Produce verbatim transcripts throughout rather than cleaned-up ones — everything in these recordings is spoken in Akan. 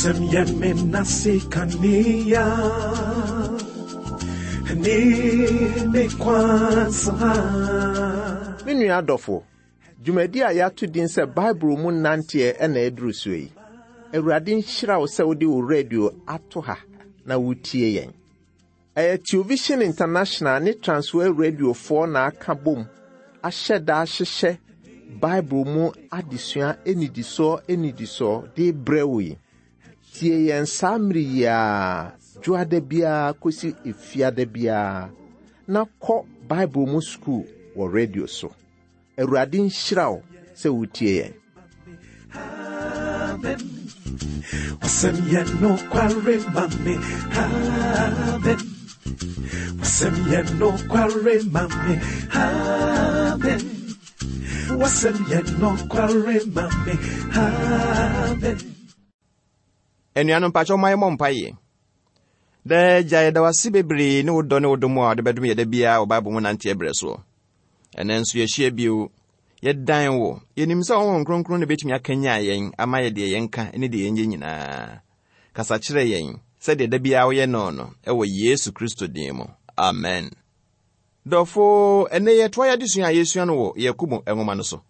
Wasɛm yɛ me nase kanea ne me kwansa. Me nua adɔfo, dwumadi a yɛato din sɛ Bible mu nanteɛ ɛna ɛduru so yi. Awurade nhyira wo sɛ wode wo radio ato ha na wotie yɛn. Ɛyɛ Television International ne Transworld Radiofoɔ na aka bom ahyɛ da ahyehyɛ Bible mu adesua anidisoɔ anidisoɔ de brɛ wo yi. Tie yɛn saa mmere yi a dwoada biara kɔsi efiada biara na kɔ Bible mu sukuu wɔ radio so. Awurade nhyira wo sɛ wotie yɛn. Amen. Wasɛm yɛ nokware ma me. Amen. Wasɛm yɛ nokware ma me. Amen. Wasɛm yɛ nokware ma me. Amen. Anuanom, mpakyɛ ɔma yɛmmɔ mpayɛ. Daa Agya, yɛda wo ase bebree ne wo dɔ ne wo dom a wode bɛdom yɛ da biara wɔ Bible mu nanteɛ berɛ soɔ. Ɛnɛ nso yɛahyia bio. Yɛdan wo. Yɛnim sɛ Honhom Kronkron na bɛtumi akanya yɛn ama yɛ deɛ yɛnka ne deɛ yɛnyɛ nyinaa. Kasa kyerɛ yɛn sɛdeɛ da biara woyɛ no no ɛwɔ Yesu Kristo din mu. Amen. Dɔfo, ɛnɛ yɛtoa yɛ adesua a yɛsua no wɔ Yakobo nwoma no so.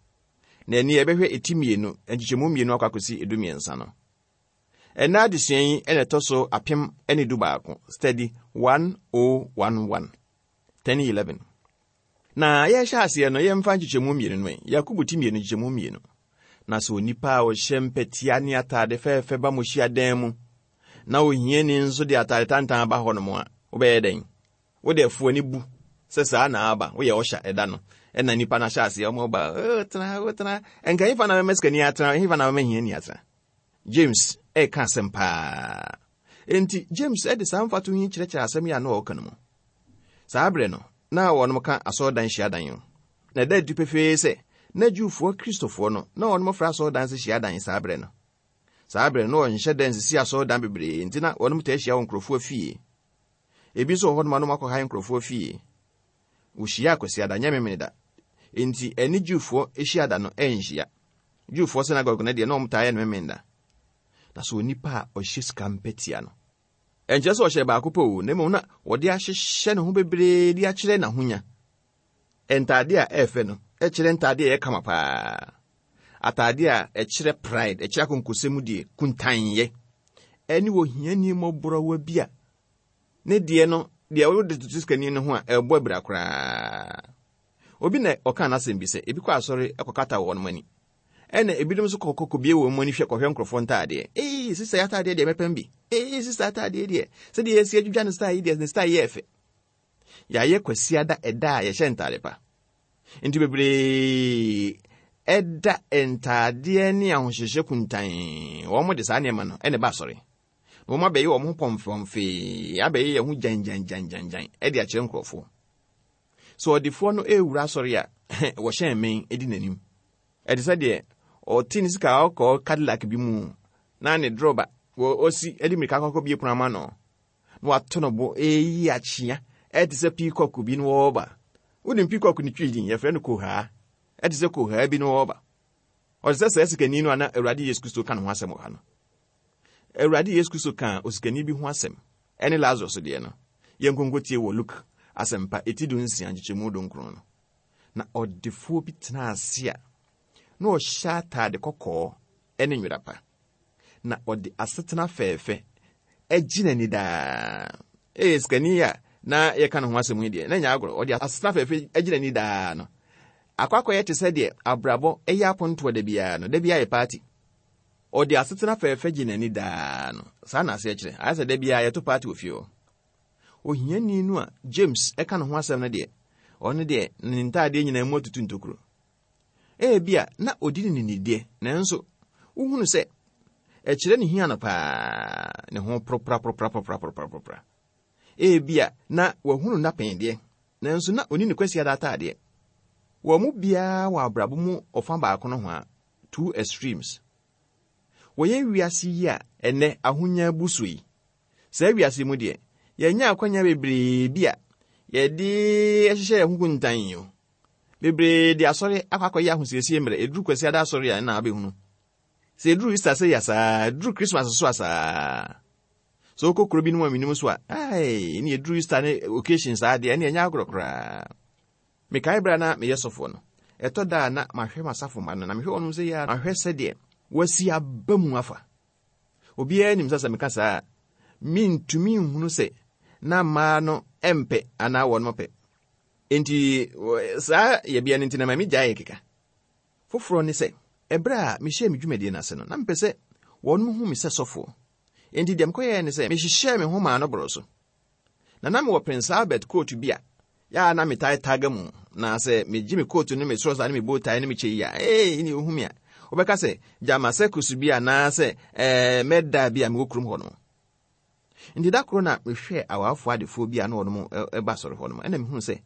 Na ɛni yɛbɛhwɛ eti mmienu, nkyekyɛmu mmienu akɔ akɔsi edu mmiɛnsa no. Ɛnɛ adesua yi ɛna ɛtɔ so apem ne du baako, study one oh one one, ten eleven. Na yɛhyɛ aseɛ no, yɛmfa nkyekyɛmu mmienu no ɛ. Yakobo ti mmienu nkyekyɛmu mmienu. Na sɛ onipa a ɔhyɛ mpɛtia ne atade fɛɛfɛ ba mo hyiadan mu, na ohiani nso de atade tantan ba hɔ nom a, wobɛyɛ dɛn? Wode afuo ani bu sɛ saa na aba, woyɛ ɔhyɛ ɛda no. Ɛna nipa no ahyɛ aseɛ, ɔmo ba, "Oh, tena, oh, tena. Ɛnka hefa na bɛma sikani atena, hefa na bɛma hiani atena?" James ɛreka asɛm paa. Enti James ɛde saa mfatoho yi kyerɛkyerɛ asɛm yi a na ɔreka no mu. Saa berɛ no, na wɔnom ka asɔredan hyiadan o. Na ɛda adi pefee sɛ na Jewfoɔ Kristofoɔ no, na wɔnom frɛ asɔredan sɛ hyiadan saa berɛ no. Saa berɛ no, na wɔnhyɛ da nsisi asɔredan bebree, nti na wɔnom taa hyia wɔ nkurɔfoɔ fie. Ebi nso wɔ hɔnom a na wɔakɔhae nkurɔfoɔ fie. Wɔhyia Kwasiada, nyɛ Memeneda. Enti ɛne Jewfoɔ hyiada no ɛnhyia. Jewfoɔ synagogue no deɛ, na wɔn taa yɛ no Memeneda. Na sɛ onipa a ɔhyɛ sika mpɛtia no, ɛnkyerɛ sɛ ɔhyɛ baako pɛ o, na mmom na wɔde ahyehyɛ ne ho bebree de akyerɛ n'ahonya. Ntaade a ɛɛfɛ no ɛkyerɛ ntaade a ɛyɛ kama paa. Ataade a ɛkyerɛ pride, ɛkyerɛ akonkosɛm die, kuntanyɛ. Ɛne ohiani mmɔborɔwa bi a ne deɛ no, deɛ wode toto sikani no ho a, ɛbɔ abira koraa. Obi na ɔka n'asɛm bi sɛ ebi kɔ asɔre ɛkɔkata wɔn ani. Ɛna ebinom nso kɔkɔ kɔbie wɔn ani hwɛ kɔhwɛ nkurɔfoɔ ntaadeɛ. Ee, sista yi ataadeɛ deɛ mɛpɛm bi. Ee, sista ataadeɛ deɛ, sɛdeɛ yɛsi adwidwa ne style yi deɛ, ne style yɛ fɛ. Yɛayɛ Kwasiada ɛda a yɛhyɛ ntaade pa. Nti bebree ɛda ntaadeɛ ne ahohyehyɛ kuntan. Wɔn de saa nneɛma no ɛna ɛba asɔre. Na wɔn abɛyɛ wɔn ho pɔmfɔmfee, abɛyɛ yɛn ho gyangyangyangyan ɛde akyerɛ nkurɔfoɔ. Sɛ ɔdefoɔ no ɛrewura asɔre a, wɔhyɛn mmɛn di n'anim. Ɛte sɛ deɛ ɔte ne sika ɔkɔ Cadillac bi mu na ne drɔba wɔ ɔsi ɛde mmirika akɔkɔ bie pono ama no na wato no bo ɛyi akyea ɛte sɛ peacock bi no wɔreba. Wonim peacock ne Twi din, yɛfrɛ no kohaa. Ɛte sɛ kohaa bi no wɔreba. Ɔte sɛ saa sikani no a na Awurade Yesu Kristo ka ne ho asɛm wɔ ha no. Awurade Yesu Kristo ka osikani bi ho asɛm ɛne Lazarus deɛ no. Yɛnkonko tie wɔ Luke Asɛmpa eti du nsia nkyekyɛmu du nkron no. Na ɔdefoɔ bi tena ase a na ɔhyɛ ataade kɔkɔɔ ne nwera pa, na ɔde asetena fɛɛfɛ agyi n'ani daa. Ee, sikani a na yɛka ne ho asɛm yi deɛ, na nyɛ agorɔ. Ɔde asetena fɛɛfɛ agyi n'ani daa no akɔ akɔyɛ te sɛ deɛ abrabɔ ɛyɛ apontoɔ da biara no, da biara yɛ party. Ɔde asetena fɛɛfɛ gye n'ani daa no, saa na aseɛ kyerɛ ayɛ sɛ da biara yɛto party wɔ fie hɔ. Ohiani no a James ɛka ne ho asɛm no deɛ, ɔno deɛ ne ntaadeɛ nyinaa mu atutu ntokuro. Ebia na odi ne ninideɛ, nanso wohunu sɛ ɛkyerɛ ne hia no paa, ne ho poropora. Ebia na wahunu nnapɛn deɛ, nanso na ɔni ne Kwasiada ataadeɛ. Wɔn mu biara wɔ abrabɔ mu ɔfa baako no ho a, two extremes. Wɔyɛ wiase yi a ɛnɛ ahonya abu so yi, saa wiase mu deɛ, yɛnya akwanya bebree bi a yɛde hyehyɛ yɛn ho kuntan yi o. Bebree de asɔre akɔ akɔyɛ ahosiesie mmerɛ. Ɛduru Kwasiada asɔre a, ɛna abɛhunu. Sɛ ɛduru Easter sɛ yɛ saa, ɛduru Christmas so a saa. Sɛ wokɔ kuro bi no mu a menim so a, ai, ne ɛduru Easter ne occasion saa deɛ, ɛne ɛnyɛ agorɔ koraa. Mekae berɛ a na meyɛ sɔfoɔ no, ɛtɔ da a na mahwɛ m'asafo mma no, na mehwɛ wɔnom sɛ yɛ a, mahwɛ sɛdeɛ wɔasi aba mu afa. Obiara nim sɛ sɛ meka saa a, mentumi nhunu sɛ na mmaa no mpɛ anaa wɔnom pɛ. Enti saa yɛbea no nti na ma megyae keka. Foforɔ ne sɛ, ɛberɛ a mehyɛɛ me dwumadie no ase no, na mepɛ sɛ wɔnom hu me sɛ sɔfoɔ. Enti deɛ mekɔyɛɛ ne sɛ, mehyehyɛɛ me ho maa no borɔ so. Na na mewɔ Prince Albert coat bi a, yɛa na metae taga mu, na sɛ megye me coat no me trouser ne me bow tie ne me kyɛ yi a, ee, ne ohu me a, wobɛka sɛ gyama circus bi anaasɛ ɛɛ mɛda bi a mewɔ kurom hɔ no. Nti da koro na mehwɛɛ awafoɔ adefoɔ bi a na wɔnom ɛba asɔre hɔ nom, ɛna mehunu sɛ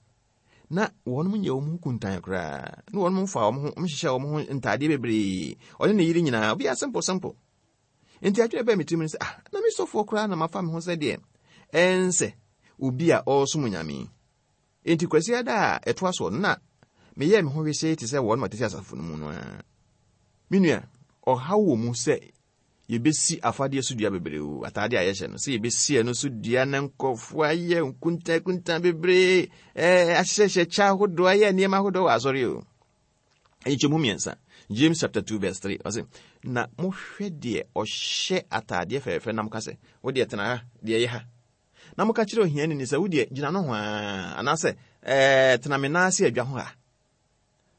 na wɔnom nyɛ wɔn ho kuntan koraa, na wɔnom fa wɔn ho, wɔhyehyɛ wɔn ho ntaadeɛ bebree, ɔne ne yere nyinaa, obiara simple simple. Nti adwene bɛɛ me tirim ne sɛ, ah, na me sɔfoɔ koraa na mafa me ho sɛ deɛ ɛnsɛ obi a ɔresom Nyame. Enti Kwasiada a ɛtoa soɔ no, na meyɛɛ me ho wesee te sɛ wɔn a wɔtete asafo no mu no ara. Me nua, ɔhaw wɔ mu sɛ yɛbɛsi afadeɛ so dua bebree o, ataade a yɛhyɛ no, sɛ yɛbɛsi ɛno so dua na nkɔfoɔ ayɛ nkuntankuntan bebree, ɛɛ, ahyehyɛ kyɛ ahodoɔ, ayɛ nneɛma ahodoɔ wɔ asɔre o. Nkyɛmu mmiɛnsa, James chapter two verse three, ɔse, na mohwɛ deɛ ɔhyɛ ataadeɛ fɛɛfɛ na moka sɛ, wo deɛ tena ha, deɛ ɛyɛ ha. Na moka kyerɛ ohiani ni sɛ, wo deɛ gyina no ho a, anaasɛ, ɛɛ, tena me nan ase adwa ho ha.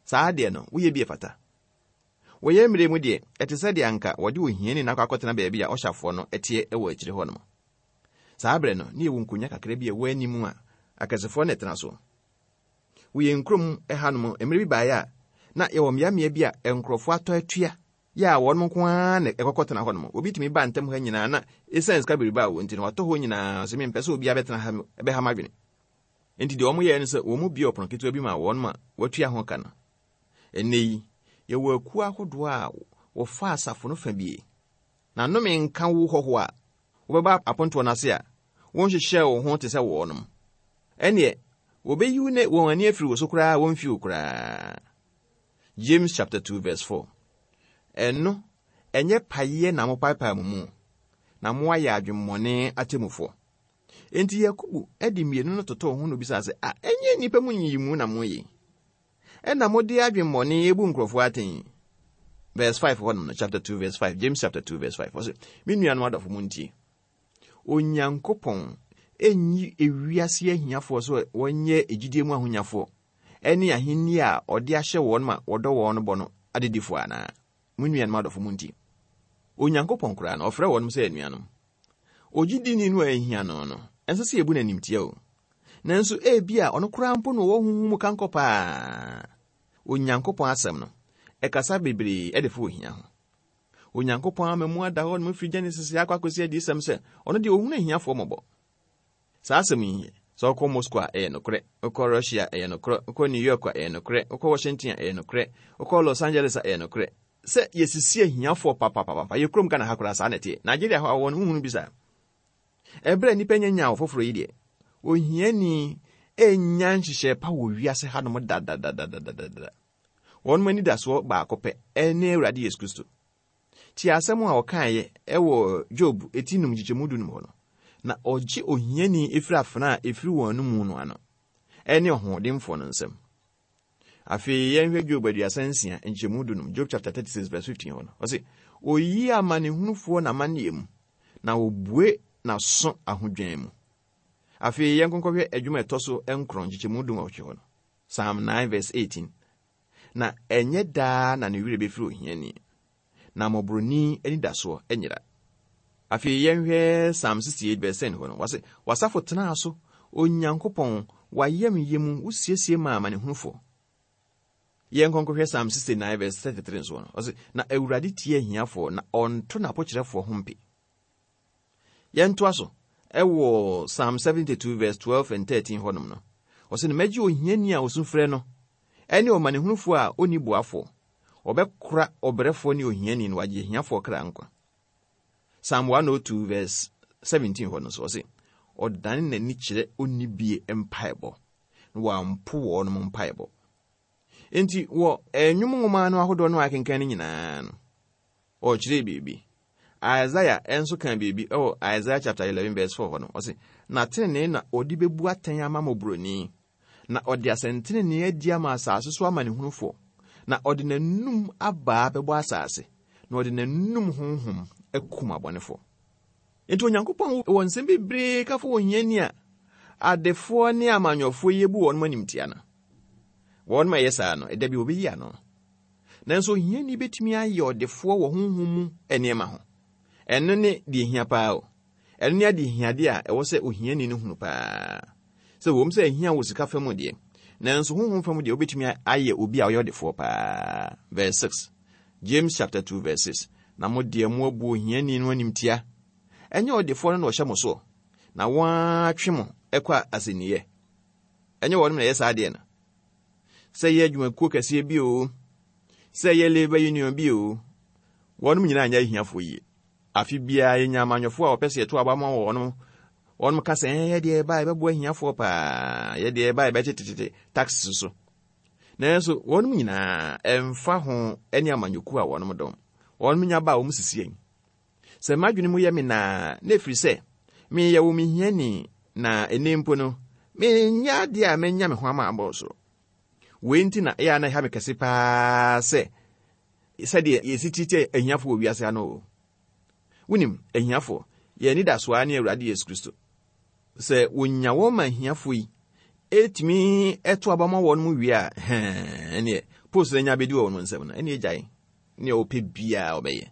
Saa deɛ no, woyɛ bi ɛfata. Wɔyɛ mmerɛ mu deɛ, ɛte sɛ deɛ anka wɔde ohiani no akɔ akɔtena baabi a ɔhyɛfoɔ no ɛteɛ ɛwɔ akyire hɔ nom. Saa berɛ no, ne yɛwɔ nkonnwa kakra bi a ɛwɔ anim a akɛsefoɔ na ɛtena so. Woyɛ nkurom ɛha nom, mmerɛ bi baeɛ a, na yɛwɔ mmeammea bi a nkurɔfoɔ atɔ atua, yɛ a wɔn nko ara na ɛkɔkɔtena hɔ nom. Obi tumi ba ntam ha nyinaa na ɛsiane sika bebrebe a wɔ nti no, watɔ hɔ nyinaa sɛ mempɛ sɛ obiara bɛtena ha, ɛbɛha m'adwene. Enti deɛ wɔn yɛɛ no sɛ wɔn mu bue ɔpono ketewa bi ma wɔn ma wɔatua ho ka no. Ɛnnɛ yi, yɛwɔ akuo ahodoɔ a wɔfa asafo no fa bie. Na nnome nka wo hɔhoɔ a wobɛba apontoɔ no ase a wonhyehyɛɛ wo ho te sɛ wɔnom. Ɛnneɛ, wɔbɛyi wo ne wɔn ani afiri wo so koraa wɔmfi wo koraa. James chapter two verse four. Ɛno, ɛnyɛ payɛ na mopaepae mo mu, na moayɛ adwemmɔne atemmufoɔ. Enti Yakobo de mmienu no totoo ho na obisaa sɛ, a, ɛnyɛ nnipa mu nyiyimu na moyɛ? Ɛna mode adwemmɔne ebu nkurɔfoɔ atɛn. Verse five hɔ nom no, chapter two verse five, James chapter two verse five. Ɔse, me nuanom adɔfo mo ntie. Onyankopɔn enyi ewiase ahiafoɔ so wɔnyɛ egyidie mu ahonyafoɔ ɛne ahenni a ɔde ahyɛ wɔn ma wɔdɔ wɔn no bɔ no adedifoɔ anaa? Mo nuanom adɔfo mo ntie. Onyankopɔn koraa no, ɔfrɛ wɔn sɛ anuanom. Ogyidini no a ehia no no, ɛnsɛ sɛ yɛbu n'animtia o. Nanso ebia ɔno koraa mpo na ɔwɔ honhom mu kankɔ paa. Onyankopɔn asɛm no, ɛkasa bebree ɛde fa ohia ho. Onyankopɔn ama mu ada hɔ nom firi Genesis akɔ akɔsi adiyisɛm sɛ ɔno deɛ ohunu ahiafoɔ mmɔbɔ. Saa asɛm yi, sɛ wokɔ Moscow a ɛyɛ nokorɛ, wokɔ Russia ɛyɛ nokorɛ, wokɔ New York a ɛyɛ nokorɛ, wokɔ Washington a ɛyɛ nokorɛ, wokɔ Los Angeles a ɛyɛ nokorɛ. Sɛ yɛsisi ahiafoɔ papapapa, yɛ kurom Ghana ha koraa saa na ɛteɛ. Nigeria hɔ a wɔn huhunu bi saa. Ɛberɛ a nnipa nya wɔ foforɔ yi deɛ, ohiani ɛnya nhyehyɛe pa wɔ wiase hanom dadadadadadada. Wɔn anidasoɔ baako pɛ ɛne Awurade Yesu Kristo. Tie asɛm a ɔkaeɛ ɛwɔ Job eti num nkyekyɛmu du num hɔ no. Na ɔgye ohiani efiri afena a efiri wɔn anomu no ano, ɛne ɔhoɔdenfoɔ no nsam. Afei yɛnhwɛ Job aduasa nsia nkyɛmu du num, Job chapter thirty-six verse fifteen hɔ no. Ɔse, oyi amanehunufoɔ n'amanneɛ mu, na obue n'aso ahodwan mu. Afei yɛnkɔnkɔhwɛ adwuma ɛtɔ so nkron nkyekyɛmu du nwɔtwe hɔ no. Psalm nine verse eighteen. Na ɛnyɛ daa na ne werɛ bɛfiri ohiani, na mmɔborɔni anidasoɔ anyera. Afei yɛnhwɛ Psalm sixty-eight verse ten hɔ no. Wɔse, w'asafo tenaa so, Onyankopɔn, w'ayamyɛ mu, wosiesie maa amanehunufoɔ. Yɛnkɔnkɔhwɛ Psalm sixty-nine verse thirty-three nso no. Ɔse, na Awurade tie ahiafoɔ, na ɔnto n'apokyerɛfoɔ ho mpe. Yɛntoa so ɛwɔ Psalm seventy-two verse twelve and thirteen hɔnom no. Ɔse, na mɛgye ohiani a osu frɛ no, ɛne ɔmanehunufoɔ a onni boafoɔ. Ɔbɛkora ɔbrɛfoɔ ne ohiani no, wagye ahiafoɔ kra nkwa. Psalm one oh two verse seventeen hɔ no so, ɔse, ɔdane n'ani kyerɛ onnibie mpaebɔ, na wampo wɔnom mpaebɔ. Enti wɔ nnwom nwoma no ahodoɔ no a akenkan no nyinaa no, Ɔkyerɛ biribi. Isaiah nso ka biribi ɛwɔ Isaiah chapter eleven verse four hɔ no. Ɔse, na tenenee na ɔde bɛbu atɛn ama mmɔborɔni, na ɔde asɛntenenee adi ama asase so amanehunufoɔ, na ɔde n'anum abaa bɛbɔ asase, na ɔde n'anum honhom akum abɔnefoɔ. Enti Onyankopɔn wɔ nsɛm bebree ka fa ohiani a adefoɔ ne amanyɔfoɔ yi bu wɔn animtia no. Wɔn ma ɛyɛ saa no, ɛda bi wɔbɛyi ano. Nanso ohiani bɛtumi ayɛ ɔdefoɔ wɔ honhom mu nneɛma ho. Ɛno ne deɛ hia paa o. Ɛno ne ade hiadeɛ a ɛwɔ sɛ ohiani no hunu paa. Sɛ wɔm sɛ ahia wɔ sika fam deɛ, nanso honhom fam deɛ wobɛtumi ayɛ obi a ɔyɛ ɔdefoɔ paa. Verse six. James chapter two verse six. Na mo deɛ mo abu ohiani no animtia. Ɛnyɛ ɔdefoɔ no na ɔhyɛ mo soɔ, na wɔn atwe mo ɛkɔ asɛnniiɛ. Ɛnyɛ wɔn na ɛyɛ saa adeɛ no. Sɛ yɛ adwumakuo kɛseɛ bi o, sɛ yɛ labor union bi o, wɔn nyinaa nyɛ ahiafoɔ yie. Afe biara yɛnya amanyɔfoɔ a wɔpɛ sɛ yɛto aba ma wɔn. Wɔn ka sɛ, yɛ deɛ ɛba yɛbɛboa ahiafoɔ paa, yɛ deɛ ɛba yɛbɛtetetete tax so. Nanso wɔn nyinaa ɛmfa ho ne amanyɔkuo a wɔn dɔm. Wɔn nya ba a wɔn sisi yɛn. Sɛ m'adwene mu yɛ me naa, na ɛfiri sɛ meyɛ wo mehiani, na ɛnɛ mpo no menyɛ adeɛ a menya me ho ama abɔ so. Wei nti na ɛyɛ a na ɛha me kɛse paa sɛ sɛdeɛ yɛsi tete ahiafoɔ wɔ wiase ano o. Wonim, ahiafoɔ, yɛn ani da so ara ne Awurade Yesu Kristo. Sɛ wonya wɔn ma ahiafoɔ yi, ɛtumi ɛto aba ma wɔn mu wie a, hɛn, ɛneɛ, post no anya abɛdi wɔ wɔn nsam no, ɛneɛ gyae. Nea ɔpɛ biara ɔbɛyɛ.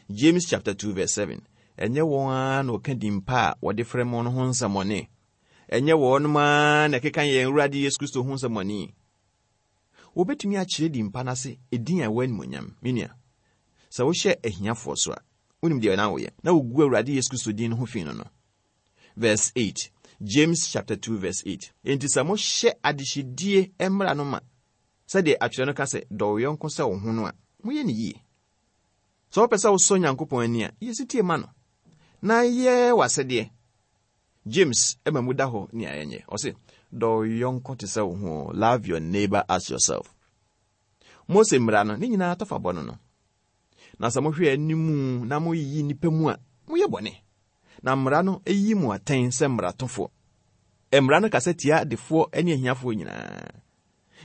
James chapter two verse seven. Ɛnyɛ wɔn ara na ɔka din pa a wɔde frɛ mo no ho nsɛmmɔne. Ɛnyɛ wɔn ara na ɛkeka yɛn Awurade Yesu Kristo ho nsɛmmɔne. Wɔbɛtumi akyerɛ din pa no ase edin a ɛwɔ animuonyam. Me nua, sɛ wohyɛ ahiafoɔ so a, wonim deɛ na woyɛ, na wogu Awurade Yesu Kristo din no ho fi no no. Verse eight. James chapter two verse eight. Enti sɛ mohyɛ adehyedie mmara no ma, sɛdeɛ atwerɛ no ka sɛ, dɔ wo yɔnko sɛ wo ho no a, moyɛ ne yie. Sɛ wopɛ sɛ wosɔ Nyankopɔn ani a, yɛ setie ma no, na yɛ w'asɛdeɛ. James ɛma mu da hɔ nea ɛnyɛ. Ɔse, dɔ wo yɔnko te sɛ wo ho. Love your neighbor as yourself. Mose mmara no, ne nyinaa tɔfa bɔ no no. Na sɛ mohwɛ animu na moyiyi nnipa mu a, moyɛ bɔne. Na mmara no eyi mu atɛn sɛ mmaratofoɔ. Mmara no kasa tia adefoɔ ne ahiafoɔ nyinaa.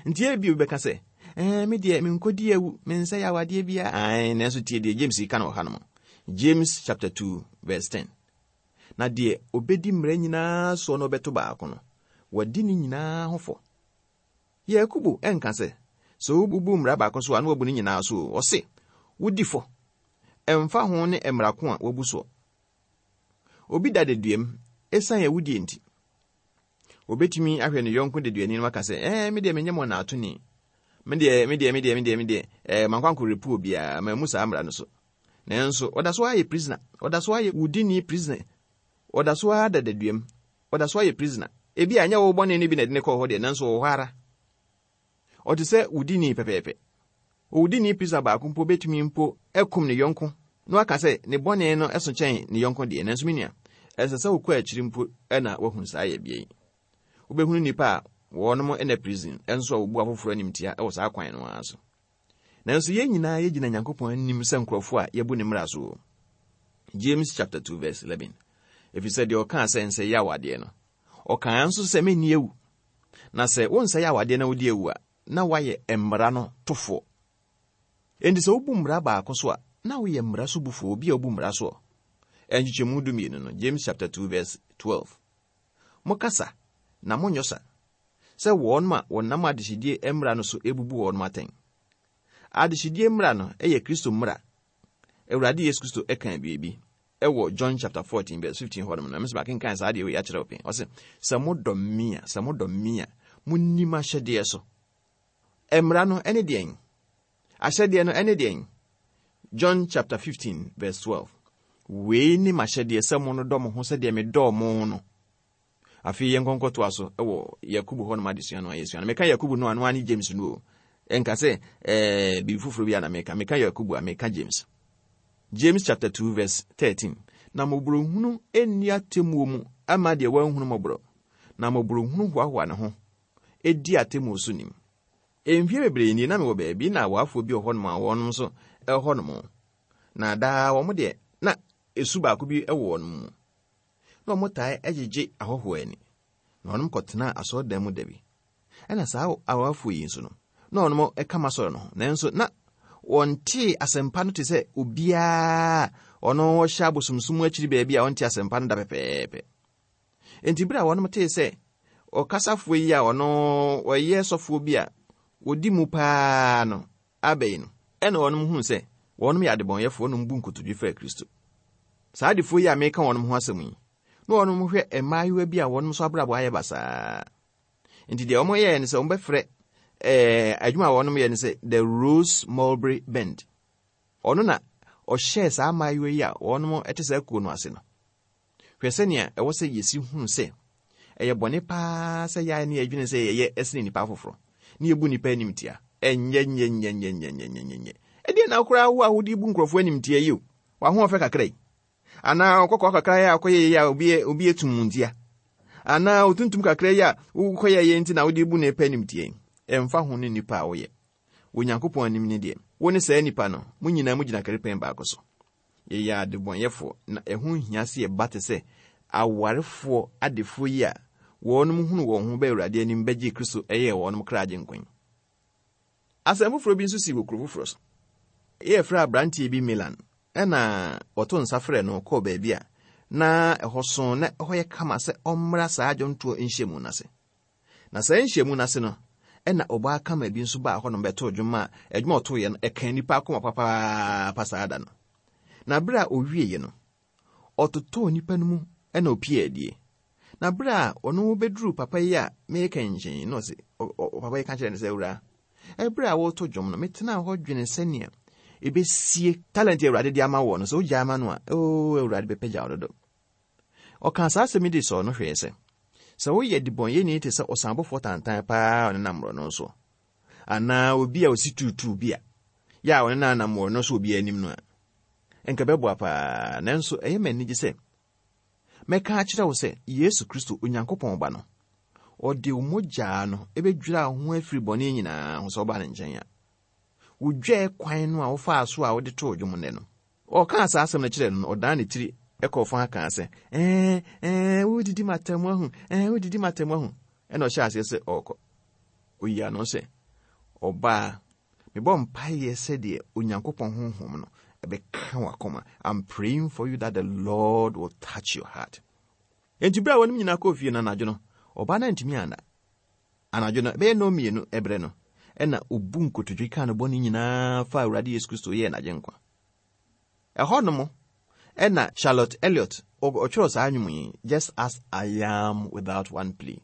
Nti ebi obi bɛka sɛ, ɛɛ, me deɛ menkɔdi awu, mensɛ yɛ awadeɛ biara. Ae, nanso tie deɛ James ka no wɔ ha no mu. James chapter two verse ten. Na deɛ obɛdi mmara nyinaa soɔ na ɔbɛto baako no, wadi ne nyinaa ho fɔ. Yakobo ɛnka sɛ, sɛ wobubu mmara baako so a na wabu ne nyinaa so o. Ɔse, wodi fɔ. Ɛmfa ho ne mmara ko a wabu soɔ. Obi da deduam esiane awudie nti. Obetumi ahwɛ ne yɔnko deduani no aka sɛ, ɛɛ, me deɛ menyɛ mɔnaatoni. Me deɛ, me deɛ, me deɛ, me deɛ, me deɛ, ɛɛ, mankɔ ankɔrepu obiara, mammu saa mmara no so. Nanso, ɔda so ayɛ prisoner. Ɔda so ayɛ wudini prisoner. Ɔda so ara da deduam. Ɔda so ayɛ prisoner. Ebi a ɛnyɛ wo bɔne no bi na ɛde ne kɔɔ hɔ deɛ, nanso ɔwɔ hɔ ara. Ɔte sɛ wudini pɛpɛɛpɛ. Owudini prisoner baako mpo betumi mpo akum ne yɔnko na waka sɛ ne bɔne no ɛso kyɛn ne yɔnko deɛ. Nanso me nua, ɛsɛ sɛ wokɔ akyiri mpo ɛna woahunu saa yɛ bea yi. Wobɛhunu nnipa a wɔnom ɛna prison ɛnso a wɔbu afoforɔ animtia ɛwɔ saa kwan no ara so. Nanso yɛn nyinaa yɛgyina Nyankopɔn anim sɛ nkurɔfoɔ a yɛbu ne mmara so. James chapter two verse eleven. Ɛfiri sɛ deɛ ɔkaa sɛ nsɛe awadeɛ no, ɔkaa nso sɛ menni awu. Na sɛ wonsɛe awadeɛ na wodi awu a, na woayɛ mmara no tofoɔ. Enti sɛ wobu mmara baako so a, na woyɛ mmara so bufoɔ, obi a wobu mmara soɔ. Ɛnkyekyɛmu dumienu no, James chapter two verse twelve. Mokasa na monyɔ sa, sɛ wɔn a wɔnam adehyedie mmara no so ebubu wɔn atɛn. Adehyedie mmara no yɛ Kristo mmara. Awurade Yesu Kristo ɛka biribi ɛwɔ John chapter fourteen verse fifteen hɔ nom na mesɛ makenkan saa adeɛ wei akyerɛ wo pɛn. Ɔse, sɛ modɔ me a, sɛ modɔ me a, monni m'ahyɛdeɛ so. Mmara no ɛne deɛn? Ahyɛdeɛ no ɛne deɛn? John chapter fifteen verse twelve. Wei ne m'ahyɛdeɛ sɛ mo no dɔ mo ho sɛdeɛ medɔɔ mo no. Afei yɛn nkɔnkɔtoa so ɛwɔ Yakubu hɔ nom adesua no a yɛsua no. Meka Yakubu no a, no ara ne James no o. Ɛnka sɛ, ɛɛ, biribi foforɔ bi a na meka. Meka Yakubu a, meka James. James chapter two verse thirteen. Na mmɔborɔhunu nni atemmuo mu ama deɛ wanhunu mmɔborɔ. Na mmɔborɔhunu hoahoa ne ho, edi atemmuo so nim. Mfie bebree nie na mewɔ baabi na awaafoɔ bi wɔ hɔnom a wɔn nso ɛwɔ hɔnom. Na daa wɔn deɛ, na esu baako bi wɔ wɔn mu. Na wɔn tae gyegye ahɔhoɔ ani. Na wɔn kɔtenaa asɔredan mu da bi. Ɛna saa awarefoɔ yi nso no, na wɔn ka asɔre no ho. Nanso na wɔntee asɛmpa no te sɛ obiara ɔno wɔhyɛ abosomsom akyiri baabi a ɔnte asɛmpa no da pɛpɛɛpɛ. Enti bere a wɔn tee sɛ ɔkasafoɔ yi a ɔno ɔyɛ sɔfoɔ bi a wɔdi mu paa no aba yi no, ɛna wɔn huu sɛ wɔn yɛ adebɔnyɛfoɔ na wɔbu nkotodwe faa Kristo. Saa adefoɔ yi a meka wɔn ho asɛm yi, na wɔn hwɛ mmaayewa bi a wɔn nso abrabɔ ayɛ basaa. Nti deɛ wɔn yɛɛ ne sɛ wɔbɛfrɛ ɛɛ adwuma a wɔn yɛ ne sɛ The Rose Mulberry Band. Ɔno na ɔhyɛɛ saa mmaayewa yi a wɔn te saa kuo no ase no. Hwɛ sɛnea ɛwɔ sɛ yɛsi hunu sɛ ɛyɛ bɔne paa sɛ yɛayɛ ne yɛdwene sɛ yɛyɛ ɛsene nnipa afoforɔ ne yɛbu nnipa animtia. Ɛnyɛ nyɛ nyɛ nyɛ nyɛ nyɛ nyɛ nyɛ. Ɛdeɛ na koraa wo a wode bu nkurɔfoɔ animtia yi o, w'ahoɔfɛ kakra yi. Anaa ɔkɔkɔɔ kakra yi a wokɔyɛ yi a obi obi etum ntia. Anaa otuntum kakra yi a wokɔyɛ yɛ nti na wode bu nnipa animtia yi. Ɛmfa ho ne nnipa a woyɛ. Onyankopɔn anim ne deɛ, wo ne saa nnipa no, mo nyinaa mo gyina karipɛn baako so. Yɛyɛ adebɔnyɛfoɔ na ɛho nhia sɛ yɛba te sɛ awarefoɔ adefoɔ yi a wɔnom hunu wɔn ho bɛ Awurade anim bɛgye Kristo ɛyɛɛ wɔnom kra agye nkwa yi. Asɛm foforɔ bi nso si wɔ kuro foforɔ so. Yɛfrɛ aberanteɛ bi Milan, ɛna wɔto nsa frɛ no kɔɔ baabi a na ɛhɔ so na ɛhɔ yɛ kama sɛ ɔmmra saa dwontoɔ nhyiamu no ase. Na saa nhyiamu no ase no, ɛna ɔbaa kama bi nso baa hɔnom bɛtoo dwom a adwuma a ɔtooeɛ no ɛka nnipa akoma papaapa saa da no. Na bere a owieeɛ no, ɔtotɔɔ nnipa no mu ɛna opie adie. Na bere a ɔno bɛduru papa yi a meka nkyɛn na ɔse, papa yi ka kyerɛ no sɛ, awura, ɛberɛ a wɔreto dwom no, metenaa hɔ dwene sɛnea ɛbɛsie talent Awurade de ama wɔ no, sɛ wogyaa ama no a, oo, Awurade bɛpɛgya wo dodo. Ɔkaa saa asɛm yi de sɔɔ no hwɛɛ sɛ, sɛ woyɛ debɔnyɛni te sɛ ɔsanbɔfoɔ tantan paa a ɔnenam mmorɔno so, anaa obi a osi tuutuu bi a, yɛ a ɔnenam mmorɔno so obi anim no a, ɛnka bɛboa paa. Nanso ɛyɛ me anigye sɛ mɛka akyerɛ wo sɛ Yesu Kristo Onyankopɔn ba no, ɔde wo mogyaa no ɛbɛdwira wo ho afiri bɔne nyinaa ho sɛ ɔba ne nkyɛn a. Wodwɛɛ kwan no a wofaa so a wode too dwom nnɛ no. Ɔkaa saa asɛm no kyerɛɛ no no, ɔdan ne tiri ɛkɔɔ fa kaa sɛ, ɛɛ, ɛɛ, wodidi m'atɛm ahu, ɛɛ, wodidi m'atɛm ahu. Ɛna ɔhyɛɛ aseɛ sɛ ɔrekɔ. Oyi ano sɛ, ɔbaa, mebɔ mpaeɛ sɛdeɛ Onyankopɔn honhom no ɛbɛka w'akoma. I'm praying for you that the Lord will touch your heart. Enti bere a wɔnom nyinaa kɔɔ fie no anadwo no, ɔbaa no antumi anna. Anadwo no, ɛbɛyɛ nnɔn mmienu ɛberɛ no, ɛna obu nkotodwe kaa no bɔne nyinaa fa Awurade Yesu Kristo yɛɛ n'agyenkwa. Ɛhɔ nom, ɛna Charlotte Elliott ɔtwerɛ saa nnwom yi, Just as I am without one plea.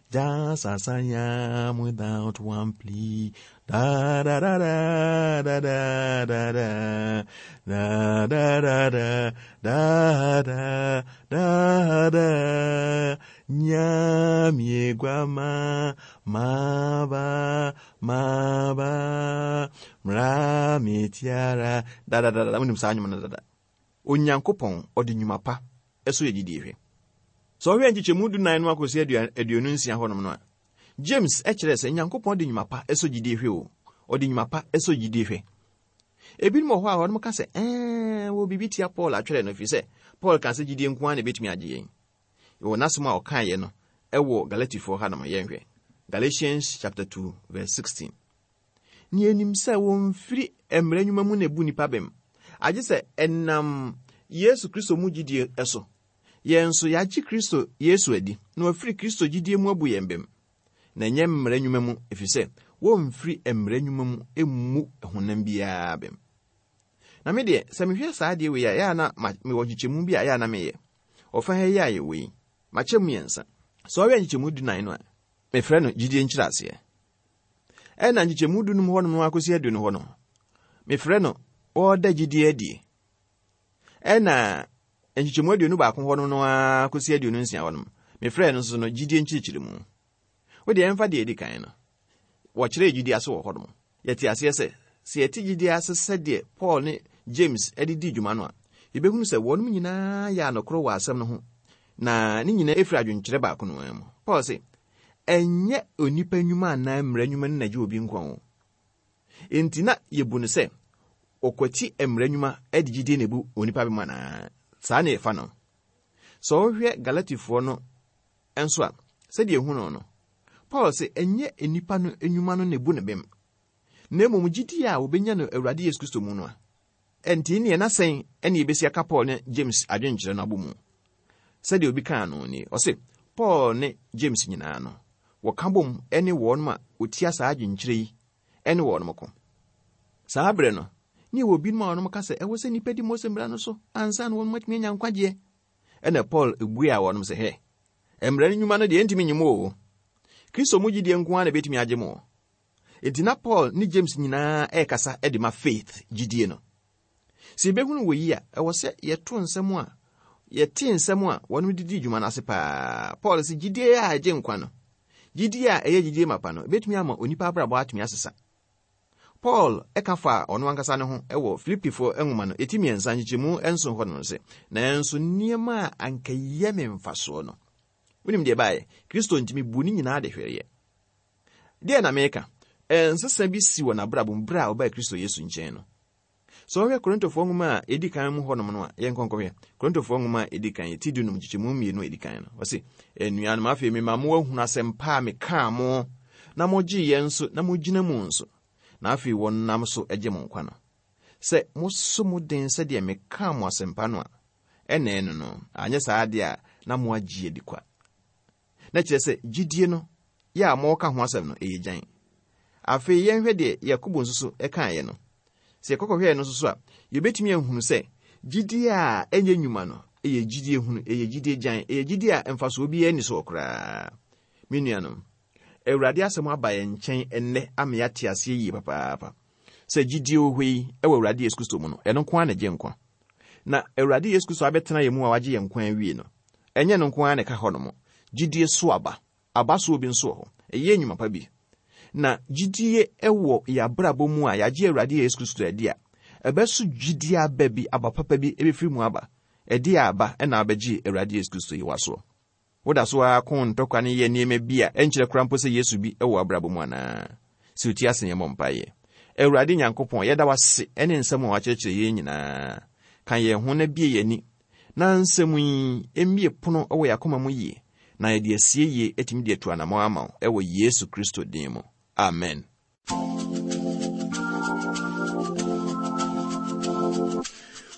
Just as I am without one plea. Da da da da da da da da da da da da da da da da Nyamie guama maba maba mra metiara da da da da. Wonim saa nnwom no dada. Onyankopɔn ɔde nnwuma pa ɛso yɛ gyidie hwɛ. Sɛ ɔhwɛ nkyekyɛmu dunan no akɔsi aduonu nsia hɔnom no a, James ɛkyerɛ sɛ Nyankopɔn de nnwuma pa ɛsɔ gyidie hwɛ o. Ɔde nnwuma pa ɛsɔ gyidie hwɛ. Ebinom wɔ hɔ a wɔnom ka sɛ, ɛɛ, wɔ biribi tia Paul atwerɛ no, ɛfiri sɛ Paul ka sɛ gyidie nko ara na ɛbɛtumi agye yɛn. Wɔ n'asɛm a ɔkaeɛ no ɛwɔ Galatifoɔ hanom, yɛnhwɛ. Galatians chapter two verse sixteen. Ne yɛnim sɛ wɔmfiri mmara nnwuma mu na ebu nnipa bem, agye sɛ ɛnam Yesu Kristo mu gyidie so. Yɛn nso yɛagye Kristo Yesu adi, na wɔafiri Kristo gyidie mu abu yɛn bem. Na ɛnyɛ mmara nnwuma mu, ɛfiri sɛ wɔmfiri mmara nnwuma mu mmu honam biara bem. Na me deɛ, sɛ mehwɛ saa adeɛ wei a, ɛyɛ a na mewɔ nkyekyɛmu bi a ɛyɛ a na meyɛ. Ɔfa ha yi a yɛwɔ yi, makyɛ mu mmiɛnsa. Sɛ ɔhwɛ nkyekyɛmu dunan no a, mefrɛ no gyidie nkyerɛaseɛ. Ɛna nkyekyɛmu dunum hɔ nom akɔsi aduonu hɔ no, mefrɛ no wɔda gyidie adie. Ɛna nkyekyɛmu aduonu baako hɔ nom no akɔsi aduonu nsia hɔ nom, mefrɛ no nso no gyidie nkyerɛkyerɛmu. Wo deɛ ɛmfa deɛ ɛdi kan no, wɔkyerɛ gyidie ase wɔ hɔ nom. Yɛte aseɛ sɛ, sɛ yɛte gyidie ase sɛdeɛ Paul ne James de di dwuma no a, yɛbɛhunu sɛ wɔnom nyinaa yɛ anokorɔ wɔ asɛm no ho, na ne nyinaa ɛfiri adwenkyerɛ baako no ara mu. Paul se, ɛnyɛ onipa nnwuma anaa mmara nnwuma no na gye obi nkwa o. Enti na yɛbu no sɛ Ɔkwati mmara nnwuma de gyidie na ebu onipa bem anaa? Saa na yɛfa no. Sɛ wohwɛ Galatifoɔ no nso a, sɛdeɛ ehu no no, Paul sɛ ɛnyɛ nnipa no nnwuma no na ebu ne bem, na mmom gyidie a wɔbɛnya no Awurade Yesu Kristo mu no a. Ɛnti neɛ na sɛn ɛne yɛbɛsi aka Paul ne James adwenkyerɛ no abɔ mu. Sɛdeɛ obi kaa no ni, ɔse Paul ne James nyinaa no, wɔka bom ne wɔnom a wɔtia saa adwenkyerɛ yi ne wɔnom ko. Saa berɛ no, ne ɛwɔ binom a wɔnom ka sɛ ɛwɔ sɛ nnipa di Mose mmara no so ansa na wɔnom atumi anya nkwagyeɛ. Ɛna Paul ebue a wɔnom sɛ, hɛ, mmara no nnwuma no deɛ ɛntumi nye mu o. Kristo mu gyidie nko ara na ɛbɛtumi agye mo. Enti na Paul ne James nyinaa ɛrekasa de ma faith gyidie no. Sɛ yɛbɛhunu wɔ yi a, ɛwɔ sɛ yɛto nsɛm a yɛte nsɛm a wɔnom didi dwuma no ase paa. Paul sɛ gyidie a ɛgye nkwa no, gyidie a ɛyɛ gyidie mapa no, ɛbɛtumi ama onipa abrabɔ atumi asesa. Paul ɛka fa ɔno ankasa ne ho ɛwɔ Filipifoɔ nwoma no ɛti mmiɛnsa nkyekyɛmu nson hɔ no sɛ, nanso nneɛma a anka yɛ me mfasoɔ no, wonim deɛ ɛbaeɛ, Kristo ntumi bu ne nyinaa de hwereɛ. Deɛ na meka, ɛnsesa bi si wɔ n'abrabɔ mu berɛ a ɔbaa Kristo Yesu nkyɛn no. Sɛ ɔhwɛ Korintofoɔ nwoma a ɛdi kan mu hɔnom no a, yɛnkɔ nkɔhwɛ Korintofoɔ nwoma a ɛdi kan, ti dunum nkyekyɛmu mmienu a ɛdi kan no, ɔse, anuanom, afei mema mo ahunu asɛmpa a mekaa mo, na mogyee yɛn nso, na mogyina mu nso, na afei wɔnam so agye mo nkwa no. Sɛ moso mo den sɛdeɛ mekaa mo asɛmpa no a, ɛna ɛno no, anyɛ saa adeɛ a na mo agye adi kwa. Na kyerɛ sɛ gyidie no, yɛ a mɔka ho asɛm no, ɛyɛ gyan. Afei yɛnhwɛ deɛ Yakobo nso so ɛkaeɛ no. Sɛ yɛkɔkɔhwɛɛ no nso so a, yɛbɛtumi ahunu sɛ gyidie a ɛnyɛ nnwuma no, ɛyɛ gyidie hunu, ɛyɛ gyidie gyan, ɛyɛ gyidie a mfasoɔ biara nni soɔ koraa. Me nuanom, Awurade asɛm aba yɛn nkyɛn ɛnnɛ ama yɛate aseɛ yie papaapa. Sɛ gyidie wɔ hɔ yi ɛwɔ Awurade Yesu Kristo mu no, ɛno nko ara na ɛgye nkwa. Na Awurade Yesu Kristo abɛtena yɛn mu a wagye yɛn nkwa awie no, ɛnyɛ no nko ara na ɛka hɔ nom. Gyidie so aba, aba soɔ bi nso wɔ hɔ. Ɛyɛ nnwuma pa bi. Na gyidie ɛwɔ yɛn abrabɔ mu a yɛagye Awurade Yesu Kristo adi a, ɛbɛso gyidie aba bi, aba papa bi ɛbɛfiri mu aba. Ɛde aba ɛna abɛgye Awurade Yesu Kristo yi wasoɔ. Woda so ara ko ntɔkwa ne yɛ nneɛma bi a ɛnkyerɛ koraa mpo sɛ Yesu bi ɛwɔ abrabɔ mu anaa? Sɛ oti ase yɛmmɔ mpaeɛ. Awurade Nyankopɔn, yɛda wo ase ɛne nsɛm a wakyerɛkyerɛ yɛn nyinaa. Ka yɛn ho na bie yɛn ani, na nsɛm yi mmie pono ɛwɔ yɛn akoma mu yie, na yɛde asie yie atumi de atu anammɔn ama wo ɛwɔ Yesu Kristo din mu. Amen.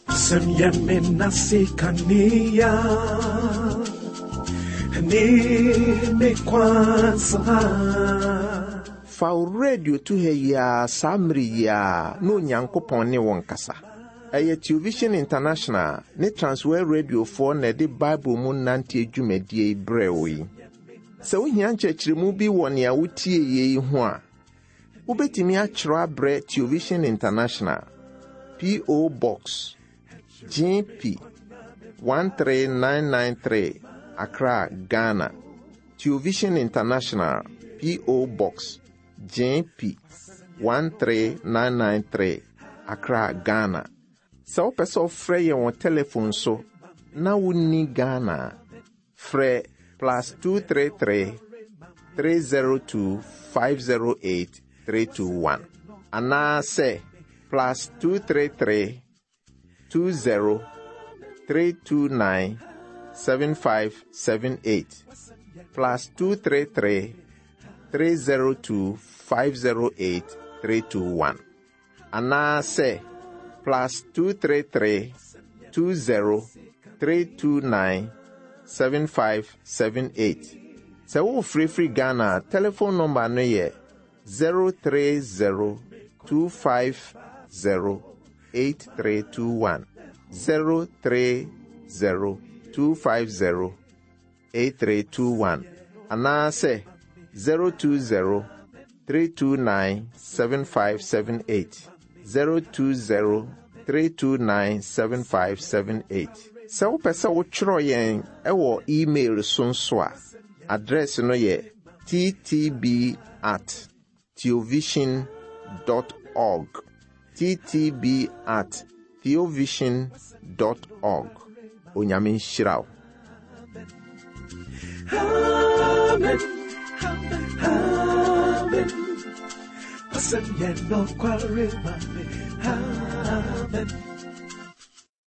Wasɛm yɛ me nase kanea ne me kwan so ha. Fa wo radio to ha yi ara saa mmere yi ara na Onyankopɔn ne wo nkasa. Ɛyɛ Television International ne Transworld Radiofoɔ na ɛde Bible mu nante dwumadie yi brɛ wo yi. Sɛ wohia nkyerɛkyerɛmu bi wɔ nea wotie yie yi ho a, wobɛtumi akyerɛw abrɛ Television International, P O. Box G P one three nine nine three, Accra, Ghana. Television International, P O. Box G P one three nine nine three, Accra, Ghana. Sɛ wopɛ sɛ wofrɛ yɛn wɔ telephone so na wonni Ghana a, frɛ plus two three three, three zero two, five zero eight, three two one. Anaasɛ plus two three three, two zero, three two nine, seven five seven eight. Plus two three three, three zero two, five zero eight, three two one. Anaasɛ plus two three three, two zero, three two nine, seven five seven eight. Sɛ wofirifiri Ghana a, telephone number no yɛ zero three zero, two five zero, eight three two one. zero three zero, two five zero, eight three two one. Anaasɛ zero two zero, three two nine, seven five seven eight. zero two zero, three two nine, seven five seven eight. Sɛ wopɛ sɛ wotwerɛ yɛn ɛwɔ email so nso a, address no yɛ t t b at theovision dot org. t t b at theovision dot org. Onyame nhyira wo. Amen. Amen. Wasɛm yɛ nokware ma me. Amen. Amen.